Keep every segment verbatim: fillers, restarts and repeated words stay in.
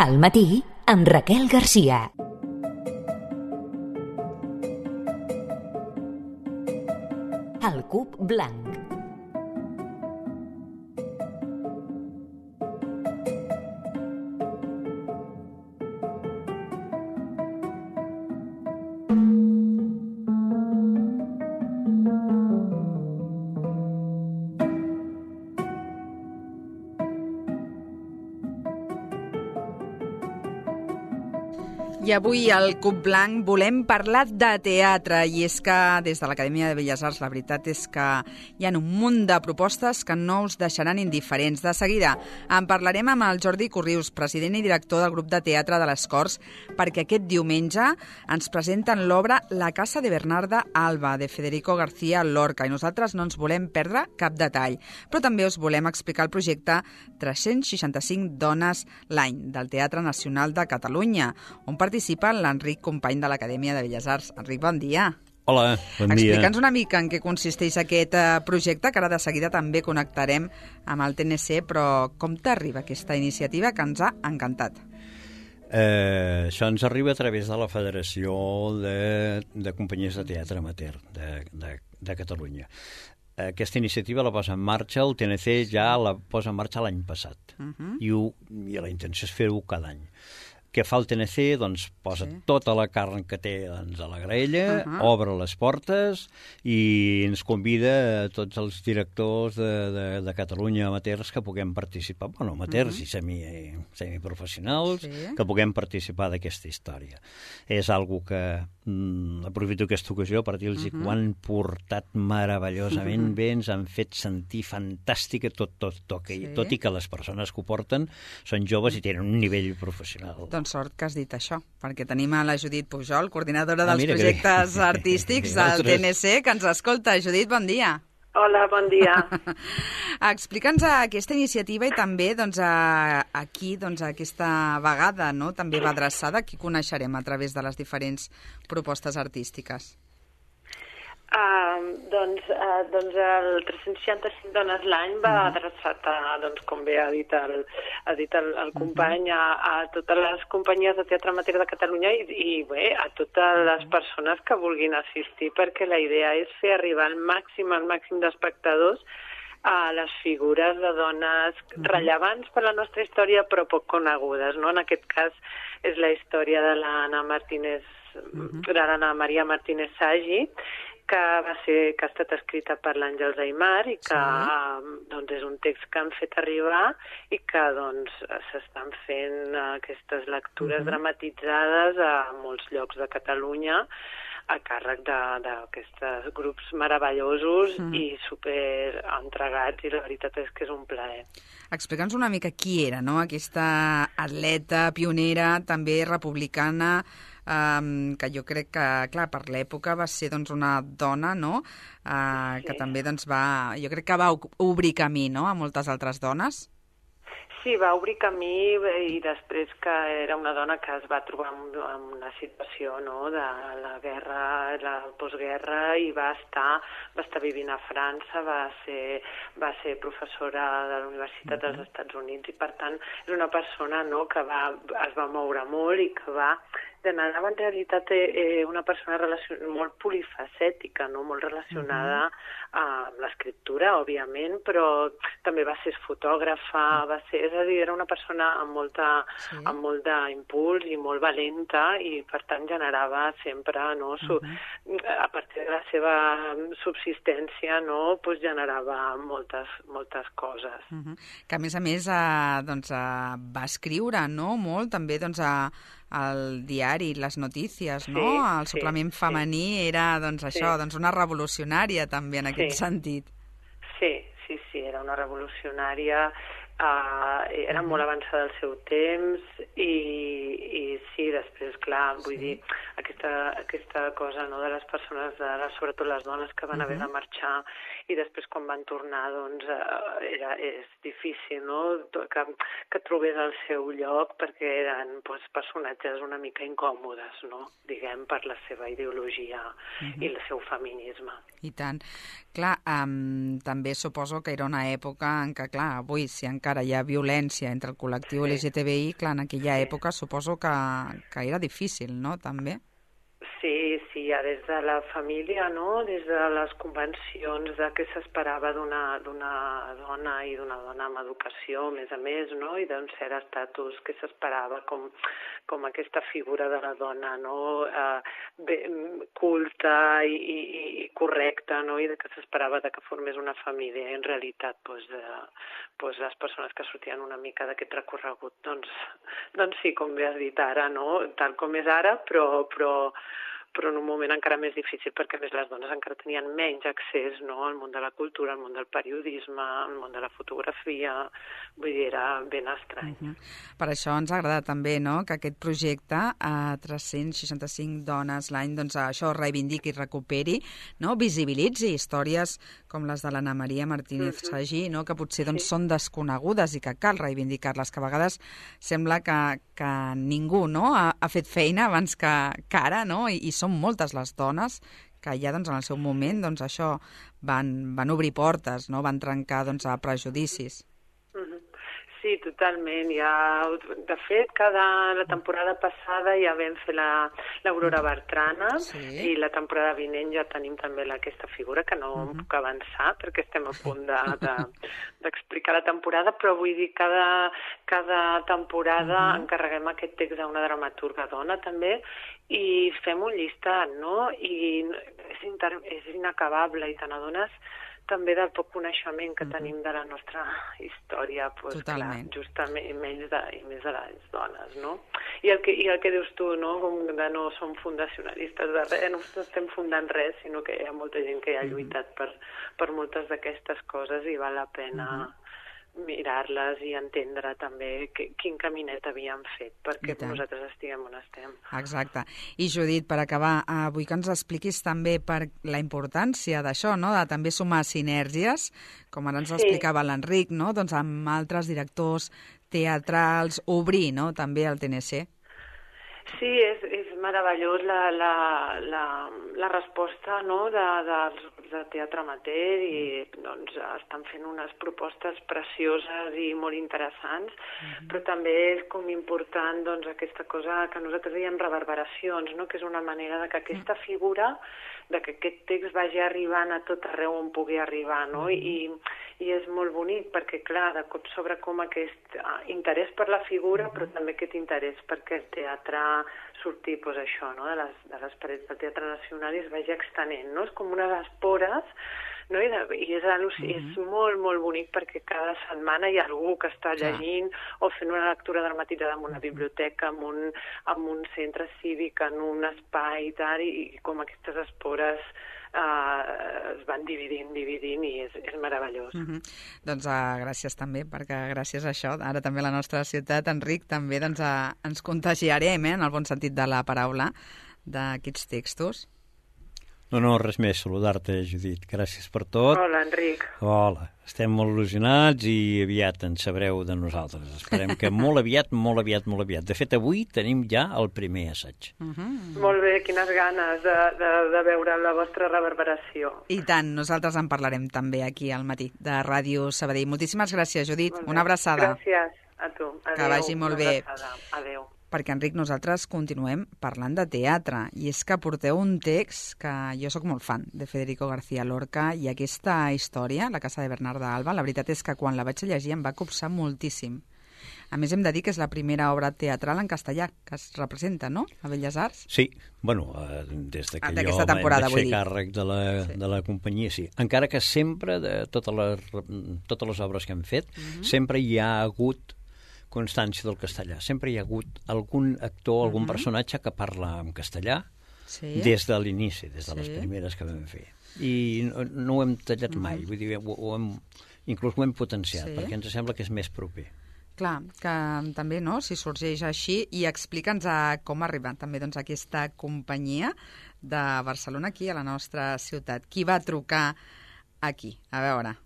Al matí, amb Raquel Garcia. El cub blanc. I avui al Cub Blanc volem parlar de teatre, i és que des de l'Acadèmia de Belles Arts la veritat és que hi ha un munt de propostes que no us deixaran indiferents. De seguida en parlarem amb el Jordi Corrius, president i director del grup de teatre de les Corts, perquè aquest diumenge ens presenten l'obra La casa de Bernarda Alba, de Federico García Lorca, i nosaltres no ens volem perdre cap detall. Però també us volem explicar el projecte tres-cents seixanta-cinc dones l'any del Teatre Nacional de Catalunya, on participa l'Enric, company de l'Acadèmia de Belles Arts. Enric, bon dia. Hola, bon dia. Explica'ns una mica en què consisteix aquest projecte, que ara de seguida també connectarem amb el T N C, però com t'arriba aquesta iniciativa que ens ha encantat? Eh, això ens arriba a través de la Federació de, de Companyies de Teatre Amateur de, de, de Catalunya. Aquesta iniciativa la posa en marxa, el T N C ja la posa en marxa l'any passat, uh-huh. I, ho, i la intenció és fer-ho cada any. Què fa el T N C? Doncs posa sí. tota la carn que té doncs, a la graella, uh-huh. obre les portes i ens convida a tots els directors de, de, de Catalunya amateurs que puguem participar, bueno, amateurs uh-huh. i semi, semiprofessionals, sí. que puguem participar d'aquesta història. És algo que mm, aprofito aquesta ocasió per dir-los uh-huh. que ho han portat meravellosament uh-huh. bé, ens han fet sentir fantàstica tot, tot, tot, sí. tot i que les persones que ho porten són joves uh-huh. i tenen un nivell professional. Doncs sort que has dit això, perquè tenim a la Judit Pujol, coordinadora dels ah, mira, projectes que... artístics del T N C, que ens escolta. Judit, bon dia. Hola, bon dia. Explica'ns aquesta iniciativa i també doncs, a, aquí, doncs, aquesta vegada, no? també va adreçada, qui coneixerem a través de les diferents propostes artístiques. Uh, doncs, uh, doncs el tres-cents seixanta-cinc dones l'any va uh-huh. adreçat a, doncs, com bé ha dit el, ha dit el, el company, uh-huh. a, a totes les companyies de teatre amateur de Catalunya i, i bé, a totes les persones que vulguin assistir, perquè la idea és fer arribar al màxim, al màxim d'espectadors a les figures de dones uh-huh. rellevants per la nostra història però poc conegudes, no? En aquest cas és la història de l'Anna Martínez, uh-huh. de l'Anna Maria Martínez Sagi, que va ser que ha estat escrita per l'Àngels Aymar i que sí. doncs, és un text que han fet arribar i que doncs, s'estan fent aquestes lectures uh-huh. dramatitzades a molts llocs de Catalunya a càrrec d'aquests grups meravellosos uh-huh. i super entregats, i la veritat és que és un plaer. Explica'ns una mica qui era, no? Aquesta atleta pionera, també republicana, Um, que jo crec que, clar, per l'època va ser doncs, una dona, no?, uh, sí. que també doncs, va, jo crec que va obrir camí, no?, a moltes altres dones. Sí, va obrir camí i després que era una dona que es va trobar en una situació, no?, de la guerra, la postguerra, i va estar, va estar vivint a França, va ser, va ser professora de la Universitat uh-huh. dels Estats Units, i per tant és una persona, no?, que va, es va moure molt i que va generava en realitat eh, una persona relacion... molt polifacètica, no? Molt relacionada uh-huh. amb l'escriptura, òbviament, però també va ser fotògrafa, va ser, és a dir, era una persona amb, molta, sí. amb molt d'impuls i molt valenta, i per tant generava sempre, no? Su... Uh-huh. a partir de la seva subsistència, no? Pues generava moltes, moltes coses. Uh-huh. Que a més a més eh, doncs, eh, va escriure, no? Molt també doncs, a el diari, les notícies, no? Sí, el suplement sí, femení sí. era, doncs, això, sí. doncs una revolucionària també en aquest sí. sentit. Sí, sí, sí, era una revolucionària, uh, era molt avançada al seu temps i, i sí, sí, després, clar, vull sí. dir, aquesta, aquesta cosa, no?, de les persones, de les, sobretot les dones que van uh-huh. haver de marxar i després quan van tornar, doncs, eh, era, és difícil, no?, que, que trobés el seu lloc perquè eren doncs, personatges una mica incòmodes, no?, diguem, per la seva ideologia uh-huh. i el seu feminisme. I tant. Clar, um, també suposo que era una època en què, clar, avui, si encara hi ha violència entre el col·lectiu sí. L G T B I, clar, en aquella sí. època suposo que, que era difícil, no?, també? Sí, sí, ja des de la família, no?, des de les convencions de què s'esperava d'una d'una dona i d'una dona amb educació, a més a més, no?, i d'un cert estatus que s'esperava com, com aquesta figura de la dona, no?, eh, bé, culta i, i, i correcta, no?, i de que s'esperava de que formés una família. I en realitat, doncs, eh, doncs les persones que sortien una mica d'aquest recorregut, doncs, doncs sí, com bé has dit ara, no?, tal com és ara, però, però però en un moment encara més difícil perquè a més les dones encara tenien menys accés, no?, al món de la cultura, al món del periodisme, al món de la fotografia, vull dir, era ben estrany. Uh-huh. Per això ens agrada també, no?, que aquest projecte a tres-cents seixanta-cinc dones l'any, doncs això reivindiqui i recuperi, no?, visibilitzi històries com les de l'Anna Maria Martínez uh-huh. Sagí, no?, que potser doncs, sí. són desconegudes i que cal reivindicar-les, que a vegades sembla que, que ningú, no?, ha, ha fet feina abans que, que ara, no?, i, i són moltes les dones que ja doncs, en el seu moment doncs, això van, van obrir portes, no? Van trencar doncs, a prejudicis. Sí, totalment. Ja, de fet, cada, la temporada passada ja vam fer l'Aurora Bertrana sí. i la temporada vinent ja tenim també la, aquesta figura, que no uh-huh. puc avançar perquè estem a punt d'explicar de, de, la temporada, però vull dir, cada, cada temporada uh-huh. encarreguem aquest text a una dramaturga dona també i fem un llistat, no? I és, inter, és inacabable i te n'adones també del poc coneixement que tenim de la nostra història, doncs, clar, justament, i més de, i més de les dones, no? I el, que, I el que dius tu, no?, com de no som fundacionalistes de res, no estem fundant res, sinó que hi ha molta gent que ha lluitat per, per moltes d'aquestes coses i val la pena uh-huh. mirar-les i entendre també que, quin caminet havíem fet perquè nosaltres estiguem on estem. Exacte. I Judit, per acabar, eh, vull que ens expliquis també per la importància d'això, no?, de també sumar sinergies, com ara ens sí. explicava l'Enric, no?, doncs amb altres directors teatrals, obrir, no?, també el T N C. Sí, és, és meravellós la, la, la, la resposta, no?, de, dels grups de teatre amateur i doncs, estan fent unes propostes precioses i molt interessants, mm-hmm. però també és com important doncs, aquesta cosa que nosaltres diem reverberacions, no?, que és una manera de que aquesta figura, de que aquest text vagi arribant a tot arreu on pugui arribar, no?, mm-hmm. I, i és molt bonic perquè, clar, de cop sobre com aquest interès per la figura, mm-hmm. però també aquest interès perquè el teatre sortir, doncs, això, no?, de les, de les parets del Teatre Nacional i es vagi extenent, no? És com unes espores, no? I, de, i és, mm-hmm. és molt, molt bonic perquè cada setmana hi ha algú que està llegint o fent una lectura dramatitzada en una biblioteca, en un, en un centre cívic, en un espai i tal, i, i com aquestes espores Uh, es van dividint, dividint i és, és meravellós. Uh-huh. Doncs uh, gràcies també, perquè gràcies a això, ara també la nostra ciutat, Enric, també doncs, uh, ens contagiarem, eh, en el bon sentit de la paraula, d'aquests textos. No, no, res més, saludar-te, Judit. Gràcies per tot. Hola, Enric. Hola. Estem molt il·lusionats i aviat en sabreu de nosaltres. Esperem que molt aviat, molt aviat, molt aviat. De fet, avui tenim ja el primer assaig. Uh-huh. Molt bé, quines ganes de, de, de veure la vostra reverberació. I tant, nosaltres en parlarem també aquí al matí de Ràdio Sabadell. Moltíssimes gràcies, Judit. Una abraçada. Gràcies a tu. Adéu. Que vagi molt bé. Adéu. Perquè, Enric, nosaltres continuem parlant de teatre, i és que porteu un text que jo sóc molt fan, de Federico García Lorca, i aquesta història, La casa de Bernarda Alba, la veritat és que quan la vaig llegir em va copsar moltíssim. A més, hem de dir que és la primera obra teatral en castellà que es representa, no?, a Belles Arts. Sí, bueno, eh, des de que jo vaig fer càrrec de la, sí. de la companyia, sí. Encara que sempre, de totes les, totes les obres que hem fet, uh-huh. sempre hi ha hagut constància del castellà. Sempre hi ha hagut algun actor, algun uh-huh. personatge que parla en castellà sí. des de l'inici, des de sí. les primeres que vam fer. I no, no ho hem tallat uh-huh. mai, vull dir, ho, ho hem, inclús ho hem potenciat, sí. perquè ens sembla que és més proper. Clar, que també, no?, si sorgeix així, i explica'ns a com ha arribat també doncs, aquesta companyia de Barcelona aquí a la nostra ciutat. Qui va trucar aquí? A veure.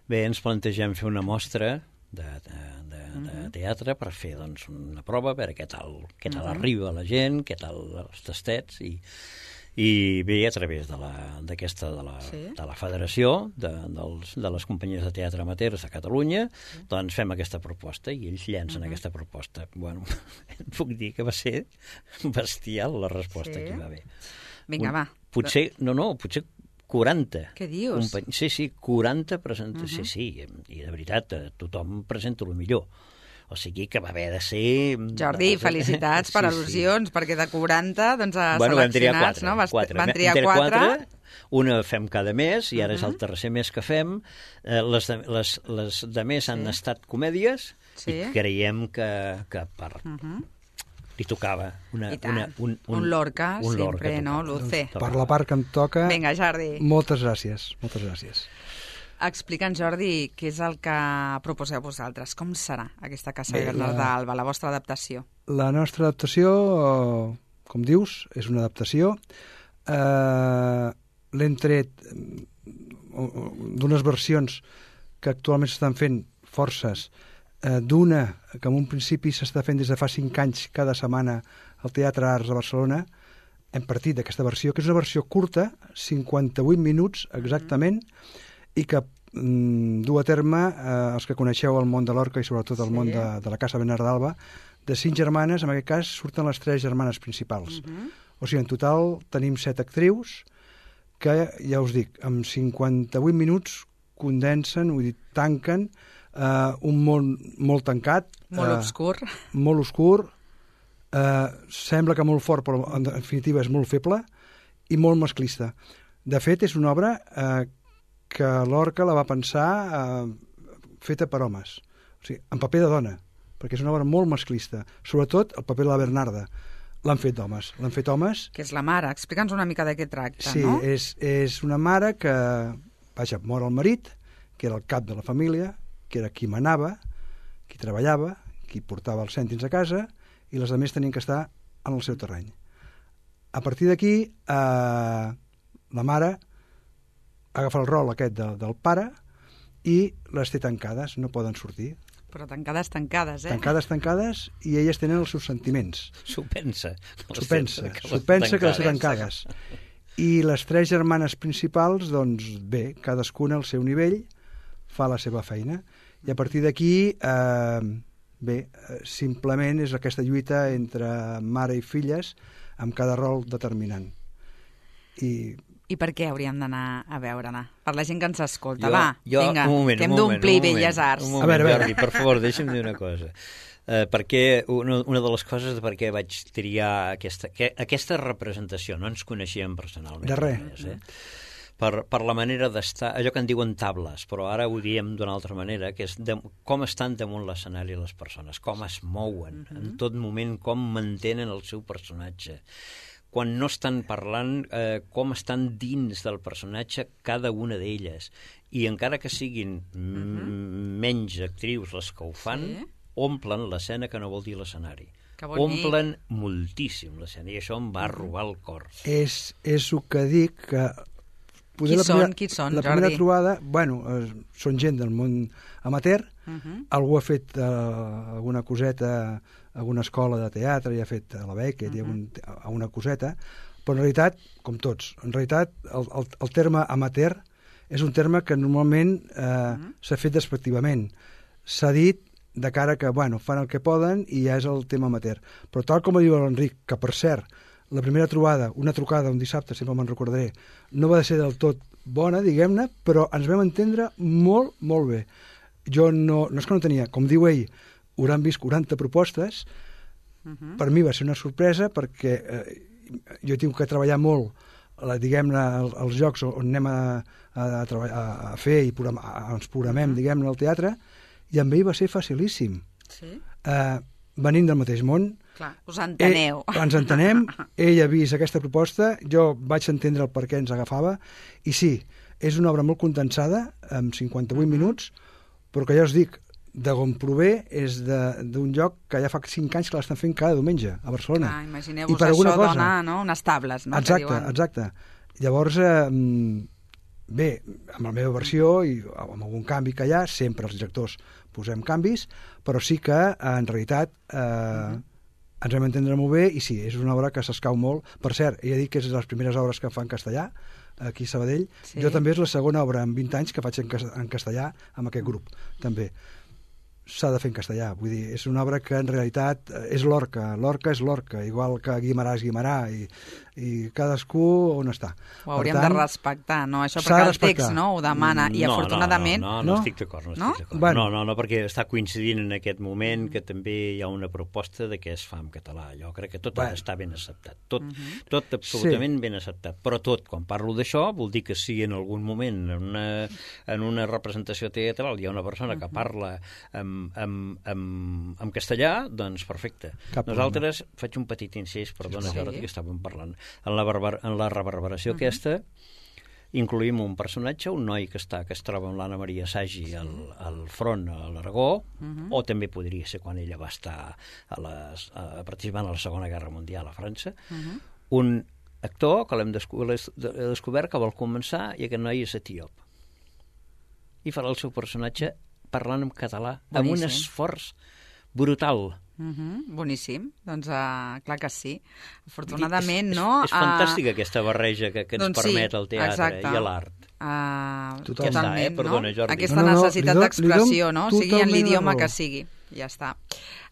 Bé, ens plantegem fer una mostra de, de, de, de teatre per fer doncs, una prova, a veure què tal, què tal arriba la gent, què tal els tastets, i, i bé, a través de la, d'aquesta, de, la, sí. de la Federació de, dels, de les companyies de teatre amateurs de Catalunya, sí. doncs fem aquesta proposta i ells llencen uh-huh. aquesta proposta. Bueno, puc dir que va ser bestial la resposta sí. que hi va haver. Vinga, va. Potser, no, no, potser quaranta. Què dius? Company... Sí, sí, quaranta presentacions. Uh-huh. Sí, sí, i de veritat, tothom presenta el millor. O sigui que va haver de ser... Jordi, felicitats per sí, al·lusions, sí. perquè de quaranta doncs, a bueno, seleccionats, no? Vas, quatre. Van triar quatre. quatre. Una fem cada mes, i ara uh-huh. és el tercer mes que fem. Eh, les, de, les, les de més sí. han estat comèdies, sí. i creiem que, que per... Uh-huh. li tocava una, una, un, un, un Lorca, un sempre, Lorca no, Luce? Per la part que em toca... Vinga, Jordi. Moltes gràcies, moltes gràcies. Explica'ns, Jordi, què és el que proposeu vosaltres? Com serà aquesta Casa Bé, Bernat la... d'Alba, la vostra adaptació? La nostra adaptació, com dius, és una adaptació. Eh, l'hem tret d'unes versions que actualment s'estan fent forces, eh, d'una que en un principi s'està fent des de fa cinc anys cada setmana al Teatre Arts de Barcelona. Hem partit d'aquesta versió, que és una versió curta, cinquanta-vuit minuts exactament, mm-hmm. i que mm, du a terme eh, els que coneixeu el món de Lorca i sobretot el sí. món de, de la Casa Bernat d'Alba, de cinc germanes, en aquest cas surten les tres germanes principals. Uh-huh. O sigui, en total tenim set actrius que, ja us dic, amb cinquanta-vuit minuts condensen, vull dir, tanquen eh, un món molt tancat. Molt eh, obscur. Molt obscur. Eh, sembla que molt fort, però en definitiva és molt feble i molt masclista. De fet, és una obra eh, que Lorca la va pensar eh, feta per homes, o sigui, en paper de dona, perquè és una obra molt masclista, sobretot el paper de la Bernarda l'han fet d'homes, l'han fet homes. Que és la mare, explica'ns una mica de què tracta, sí, no? Sí, és, és una mare que, vaja, mor el marit, que era el cap de la família, que era qui manava, qui treballava, qui portava els cèntims a casa, i les altres tenien que estar en el seu terreny. A partir d'aquí, eh, la mare agafa el rol aquest de, del pare i les té tancades, no poden sortir. Però tancades, tancades, eh? Tancades, tancades, i elles tenen els seus sentiments. S'ho pensa. S'ho pensa, s'ho pensa que les té tancades. I les tres germanes principals, doncs bé, cadascuna al seu nivell fa la seva feina. I a partir d'aquí, eh, bé, simplement és aquesta lluita entre mare i filles amb cada rol determinant. I... I per què hauríem d'anar a veure-la? Per la gent que ens escolta. Jo, Va, jo, vinga, moment, que hem d'omplir Belles Arts. Un moment, a veure, a veure. Jordi, per favor, deixa'm dir una cosa. Uh, perquè una, una de les coses de per què vaig triar aquesta, que, aquesta representació, no ens coneixíem personalment. De res. Eh? Per, per la manera d'estar, allò que en diuen tables, però ara ho diem d'una altra manera, que és de, com estan damunt l'escenari les persones, com es mouen, mm-hmm. en tot moment, com mantenen el seu personatge. Quan no estan parlant, eh, com estan dins del personatge cada una d'elles. I encara que siguin uh-huh. menys actrius les que ho fan, sí. omplen l'escena, que no vol dir l'escenari. Omplen moltíssim l'escena, i això em va uh-huh. robar el cor. És, és el que dic, que... Qui la són, primera, qui són, la primera Jordi? trobada, bueno, eh, són gent del món amateur, uh-huh. algú ha fet eh, alguna coseta, alguna escola de teatre, i ha fet a la Beckett, uh-huh. i algun, alguna coseta, però en realitat, com tots, en realitat el, el, el terme amateur és un terme que normalment eh, uh-huh. s'ha fet despectivament. S'ha dit de cara que, bueno, fan el que poden i ja és el tema amateur. Però tal com diu l'Enric, que per cert, la primera trobada, una trucada un dissabte, sempre me'n recordaré, no va ser del tot bona, diguem-ne, però ens vam entendre molt, molt bé. Jo no, no és que no tenia, com diu ell, hauran vist quaranta propostes, uh-huh. per mi va ser una sorpresa perquè eh, jo tinc que treballar molt, la, diguem-ne, els jocs on anem a, a, a, a fer i programar, a, ens programem, uh-huh. diguem-ne, al teatre, i amb ell va ser facilíssim. Sí? Eh, venim del mateix món, clar, us enteneu. Ell, ens entenem, ell ha vist aquesta proposta, jo vaig entendre el per què ens agafava, i sí, és una obra molt condensada, amb cinquanta-vuit uh-huh. minuts, però que ja us dic, d'on prové és d'un lloc que ja fa cinc anys que l'estan fent cada diumenge a Barcelona. Ah, imagineu-vos, això cosa... dona no? unes tables, no? Exacte, exacte. Llavors, eh, bé, amb la meva versió i amb algun canvi que hi ha, sempre els directors posem canvis, però sí que, en realitat, eh, uh-huh. ens vam entendre molt bé i sí, és una obra que s'escau molt. Per cert, he dit que és de les primeres obres que fa en castellà, aquí a Sabadell. Sí. Jo també és la segona obra en vint anys que faig en castellà amb aquest grup, també. S'ha de fer en castellà, vull dir, és una obra que en realitat és Lorca, Lorca és Lorca, igual que Guimarà és Guimarà, i, i cadascú on està. Ho hauríem tant, de respectar, no? Això perquè el text no, ho demana, i no, afortunadament... No, no, no, no, no estic d'acord, no estic no? d'acord. Bueno. No, no, no, perquè està coincidint en aquest moment que també hi ha una proposta de què es fa en català. Jo crec que tot bueno. està ben acceptat, tot, uh -huh. tot absolutament sí. ben acceptat, però tot, quan parlo d'això, vol dir que si en algun moment en una, en una representació teatral hi ha una persona uh -huh. que parla amb En, en, en castellà, doncs perfecte. Cap Nosaltres, problema. Faig un petit incís, perdona, sí. Jordi, que estàvem parlant. En la, barbar, en la reverberació uh-huh. aquesta incluïm un personatge, un noi que està que es troba amb l'Anna Maria Sagi al, al front a l'Aragó, uh-huh. o també podria ser quan ella va estar a les, a, participant a la Segona Guerra Mundial a França. Uh-huh. Un actor que l'hem desco descobert que vol començar i aquest noi és etíop. I farà el seu personatge parlant en català, boníssim. Amb un esforç brutal. Uh -huh, boníssim, doncs uh, clar que sí. Afortunadament, és, no? És, és fantàstica uh, aquesta barreja que, que ens doncs permet sí, el teatre exacte. I l'art. Uh, totalment, ja està, eh? Perdona, Jordi. Aquesta no, no, necessitat no, d'expressió, no? Sigui en l'idioma que sigui. Ja està.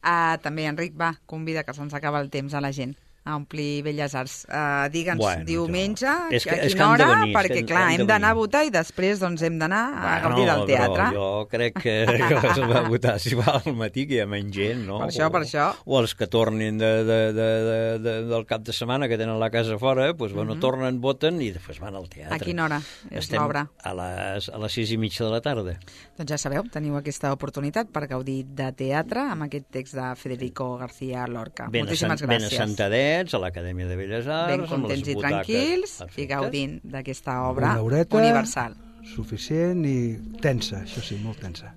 Uh, també, Enric, va, convida, que se'ns acaba el temps a la gent a omplir Belles Arts. Uh, Digue'ns bueno, diumenge, a quina hora, venir, perquè que, clar, hem d'anar a votar i després doncs, hem d'anar a gaudir del teatre. Però jo crec que, que es va votar si va al matí, que hi ha menys gent, no? Per això, o, per això. O els que tornin de, de, de, de, de, del cap de setmana, que tenen la casa fora, doncs, bueno, uh -huh. tornen, voten i després van al teatre. A quina hora és l'obra? A les, a les sis i mitja de la tarda. Doncs ja sabeu, teniu aquesta oportunitat per gaudir de teatre amb aquest text de Federico García Lorca. Ben Moltíssimes gràcies. Ben assentadets a l'Acadèmia de Belles Arts, ben contents i tranquils, perfecte. I gaudint d'aquesta obra una horeta universal. Suficient i tensa, això sí, molt tensa.